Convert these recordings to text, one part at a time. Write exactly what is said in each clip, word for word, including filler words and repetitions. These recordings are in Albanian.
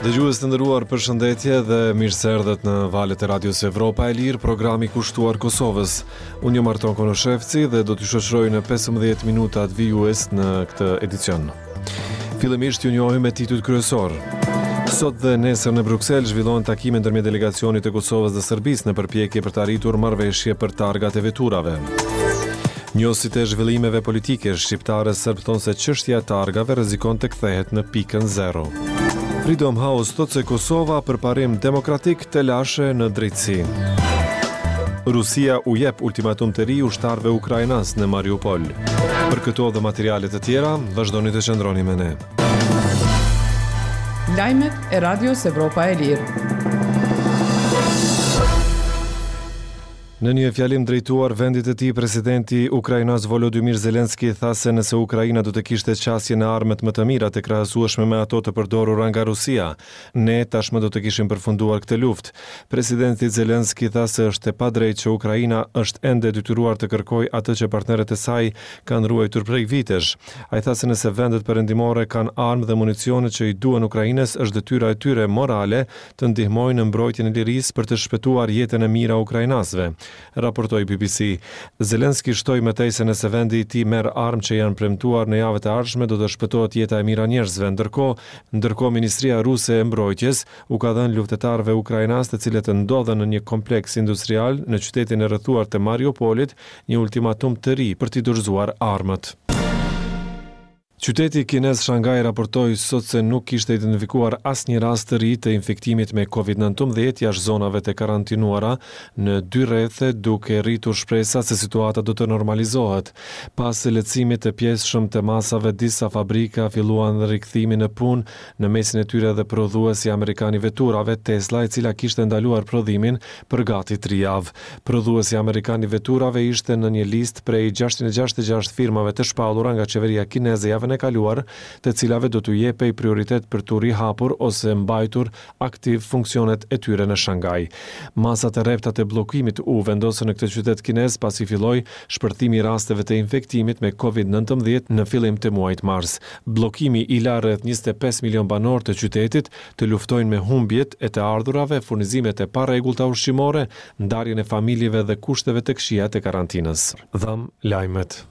Dëgjues të nderuar, përshëndetje dhe mirë se erdhët në valët e Radios Evropa e Lirë, programi kushtuar Kosovës. Unë jam Arton Konoshevci dhe do t'ju shoqëroj në pesëmbëdhjetë minutat vijues në këtë edicion. Fillimisht ju njohim me titujt kryesor. Sot dhe nesër në Bruksel zhvillohen takime ndërmjet delegacionit të Kosovës dhe Serbisë në përpjekje për të arritur marrëveshje për targat e veturave. Njohësit e zhvillimeve politike shqiptare serb thonë se çështja e targave rrezikon të kthehet në pikën zero. Freedom House thotë se Kosova përparim demokratik, telashe në drejtësi. Rusia u jep ultimatum të ri ushtarëve ukrainas në Mariupol. Për këto dhe materiale të tjera, vazhdoni të qëndroni me ne. Lajmet e Radios Evropa e Lirë. Në një fjalim drejtuar vendit të tij, presidenti ukrainas Volodymyr Zelensky tha se nëse Ukraina do të kishte qasje në armët më të mira të krahasueshme me ato të përdorura nga Rusia, ne tashmë do të kishim përfunduar këtë luftë. Presidenti Zelensky tha se është e padrejtë që Ukraina është ende detyruar të kërkojë atë që partnerët e saj kanë ruajtur prej vitesh. Ai tha se nëse vendet perëndimore kanë armë dhe municione që i duhen Ukrainës, është detyra e tyre morale të ndihmojnë në mbrojtjen e lirisë për të shpëtuar jetën e mijëra ukrainasve, raportoi B B C. Zelenski shtoi më tej se nëse vendi i tij merr armë që janë premtuar në javët e ardhshme, do të shpëtohet jeta e mijëra njerëzve. Ndërkohë, ndërkohë Ministria Ruse e Mbrojtjes u ka dhënë luftëtarëve ukrainas, të cilët ndodhen në një kompleks industrial në qytetin e rrethuar të Mariupolit, një ultimatum të ri për t'i dorëzuar armët. Qyteti kinez Shanghai raportoi sot se nuk kishte identifikuar asnjë rast të ri të infektimit me Covid nëntëmbëdhjetë jashtë zonave të karantinuara në dy rrethe, duke rritur shpresa se situata do të normalizohet. Pas lehtësimit të pjesshëm të masave, disa fabrika filluan rikthimin në punë, në mesin e tyre edhe prodhuesi amerikan i veturave Tesla, e cila kishte ndaluar prodhimin për gati tri javë. Prodhuesi amerikan i veturave ishte në një listë prej gjashtëqind e gjashtëdhjetë e gjashtë firmave të shpallura nga qeveria kineze javën e kaluar, të cilave do t'u jepej prioritet për t'u rihapur ose mbajtur aktiv funksionet e tyre në Shanghai. Masat e rrepta të bllokimit u vendosën në këtë qytet kinez pasi filloi shpërthimi i rasteve të infektimit me Covid nëntëmbëdhjetë në fillim të muajit mars. Bllokimi i la rreth njëzet e pesë milion banorë të qytetit të luftojnë me humbjet e të ardhurave, furnizimet e parregullta ushqimore, ndarjen e familjeve dhe kushteve të këqija të karantinës. Dham lajmet.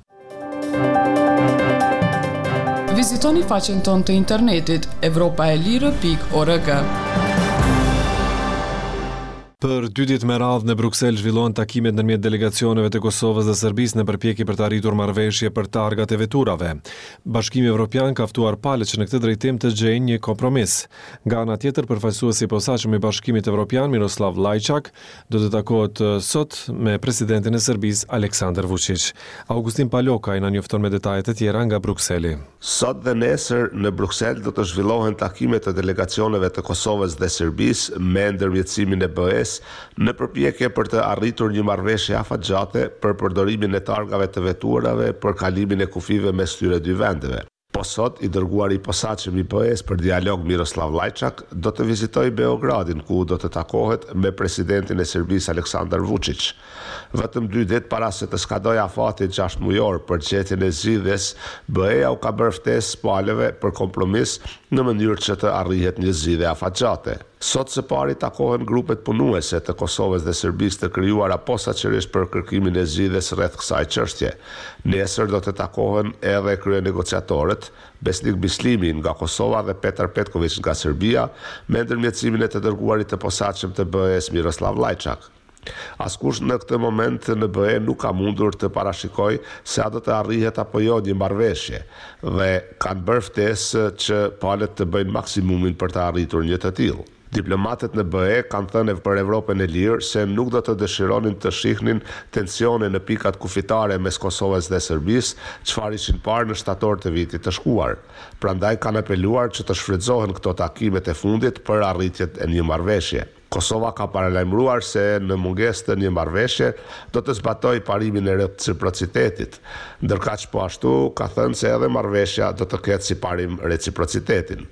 Vizitoni faqen tonë të internetit evropaelire pikë org. Për dy ditë me radhë në Bruksel zhvillohen takimet ndërmjet delegacioneve të Kosovës dhe Serbisë në përpjekje për të arritur marrëveshje për targat e veturave. Bashkimi Evropian ka ftuar palët që në këtë drejtim të gjejnë një kompromis. Nga ana tjetër, përfaqësuesi i posaçëm i Bashkimit Evropian, Miroslav Lajçak, do të takohet sot me presidentin e Serbisë, Aleksandar Vučić. Augustin Palokaj na njofton me detaje të tjera nga Brukseli. Sot dhe nesër në Bruksel do të zhvillohen takime të delegacioneve të Kosovës dhe Serbisë me ndërmjetësimin e B E-s në përpjekje për të arritur një marrëveshje afatgjate për përdorimin e targave të veturave për kalimin e kufijve mes këtyre dy vendeve. Po sot, i dërguari i posaçëm i B E-s për dialog, Miroslav Lajçak, do të vizitojë Beogradin, ku do të takohet me presidentin e Serbisë, Aleksandar Vučić. Vetëm dy ditë para se të skadojë afati gjashtë mujor për gjetjen e zgjidhjes, B E-ja u ka bërë ftesë palëve për kompromis në mënyrë që të arrihet një zgjidhje afatgjate. Sot së pari takohen grupet punuese të Kosovës dhe Serbisë të krijuara posaçërisht për kërkimin e zgjidhjes rreth kësaj çështje. Nesër do të takohen edhe kryenegociatorët Besnik Bislimi nga Kosova dhe Petar Petković nga Serbia, me ndërmjetësimin e të dërguarit të posaçëm të B E-s, Miroslav Lajçak. Askush në këtë moment në B E nuk ka mundur të parashikojë se a do të arrihet apo jo një marrëveshje dhe kanë bërë ftesë që palët të bëjnë maksimumin për të arritur një të tillë. Diplomatët në B E kanë thënë për Evropën e Lirë se nuk do të dëshironin të shihnin tensione në pikat kufitare mes Kosovës dhe Serbisë, çfarë ishin parë në shtator të vitit të shkuar. Prandaj kanë apeluar që të shfrytëzohen këto takimet e fundit për arritjet e një marrëveshje. Kosova ka paralajmëruar se në mungesë të një marrëveshje do të zbatojë parimin e reciprocitetit. Ndërkaq, po ashtu ka thënë se edhe marrëveshja do të ketë si parim reciprocitetin.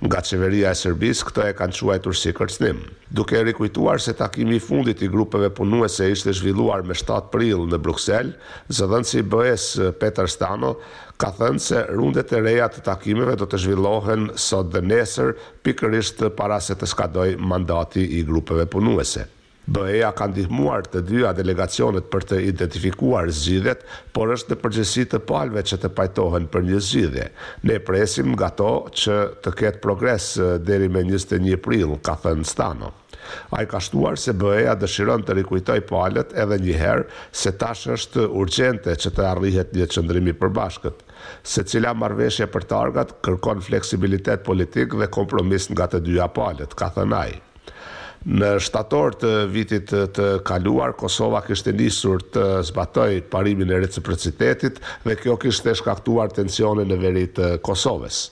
Nga qeveria e Serbisë këtë e kanë quajtur si kërcënim. Duke rikujtuar se takimi i fundit i grupeve punuese ishte zhvilluar me shtatë prill në Bruksel, zëdhënësi i B E-s, Peter Stano, ka thënë se rundet e reja të takimeve do të zhvillohen sot dhe nesër, pikërisht para se të skadojë mandati i grupeve punuese. B E-ja ka ndihmuar të dyja delegacionet për të identifikuar zgjidhjet, por është në përgjegjësi të palëve që të pajtohen për një zgjidhje. "Ne presim nga to që të ketë progres deri me njëzet e një prill", ka thënë Stano. Ai ka shtuar se B E-ja dëshiron të rikujtojë palët edhe një herë se tash është urgjente që të arrihet një qëndrim i përbashkët. "Secila marrëveshje për targat kërkon fleksibilitet politik dhe kompromis nga të dyja palët", ka thënë ai. Në shtator të vitit të kaluar, Kosova kishte nisur të zbatojë parimin e reciprocitetit dhe kjo kishte shkaktuar tensione në veri të Kosovës.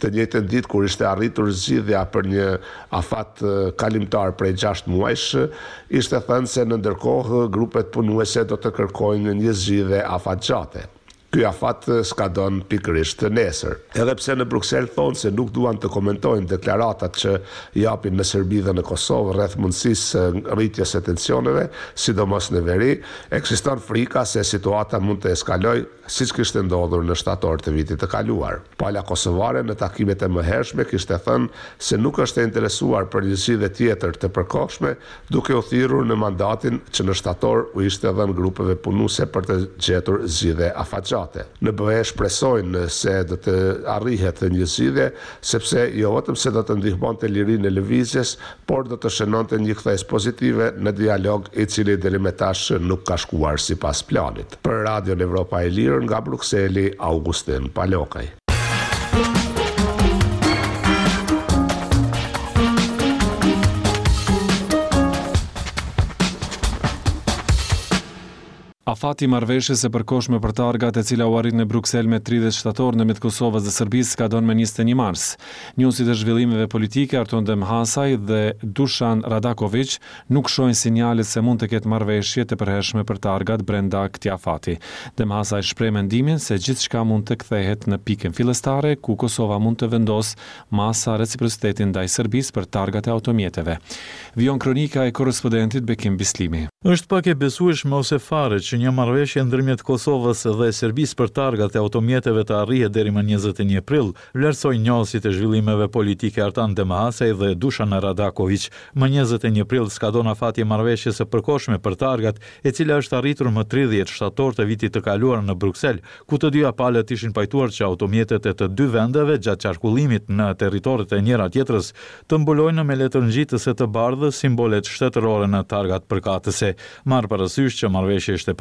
Të njëjtën ditë kur ishte arritur zgjidhja për një afat kalimtar prej gjashtë muajsh, ishte thënë se në ndërkohë grupet punuese do të kërkojnë një zgjidhje afatgjate. Ky afat skadon pikërisht nesër. Edhe pse në Bruksel thonë se nuk duan të komentojnë deklaratat që japin në Serbi dhe në Kosovë rreth mundësisë së rritjes së tensioneve, sidomos në veri, ekziston frika se situata mund të eskalojë siç kishte ndodhur në shtator të vitit të kaluar. Pala kosovare në takimet e mëhershme kishte thënë se nuk është e interesuar për një zgjidhje tjetër të përkohshme, duke u thirrur në mandatin që në shtator u ishte dhënë grupeve punuese për të gjetur zgjidhje afatgjate. Në B E shpresojnë se do të arrihet një zgjidhje, sepse jo vetëm se do të ndihmonte lirinë e lëvizjes, por do të shënonte një kthesë pozitive në dialog, i cili deri më tash nuk ka shkuar sipas planit. Për Radion Evropa e Lirë nga Brukseli, Augustin Palokaj. Afati i marrëveshjes së përkohshme për targat, e cila u arrit në Bruksel me tridhjetë shtator ndërmjet Kosovës dhe Serbisë, skadon me njëzet e një mars. Njohësit e zhvillimeve politike Arton Demhasaj dhe Dushan Radakovic nuk shohin sinjale se mund të ketë marrëveshje të përhershme për targat brenda këtij afati. Demhasaj shpreh mendimin se gjithçka mund të kthehet në pikën fillestare, ku Kosova mund të vendosë masa reciprociteti ndaj Serbisë për targat e automjeteve. Vijon kronika e korrespondentit Bekim Bislimi. Është pak e besueshme ose fare që një marrëveshje ndërmjet Kosovës dhe Serbisë për targat e automjeteve të arrihet deri më njëzet e një prill, vlerësojnë njohësit e zhvillimeve politike Artan Demhasaj dhe Dushan Radakovic. Më njëzet e një prill skadon afati i marrëveshjes së përkohshme për targat, e cila është arritur më tridhjetë shtator të vitit të kaluar në Bruksel, ku të dyja palët ishin pajtuar që automjetet e të dy vendeve gjatë qarkullimit në territoret e njëra tjetrës të mbulojnë me letër ngjitëse të bardhë simbolet shtetërore në targat përkatëse. Marrë parasysh që marrëveshja ishte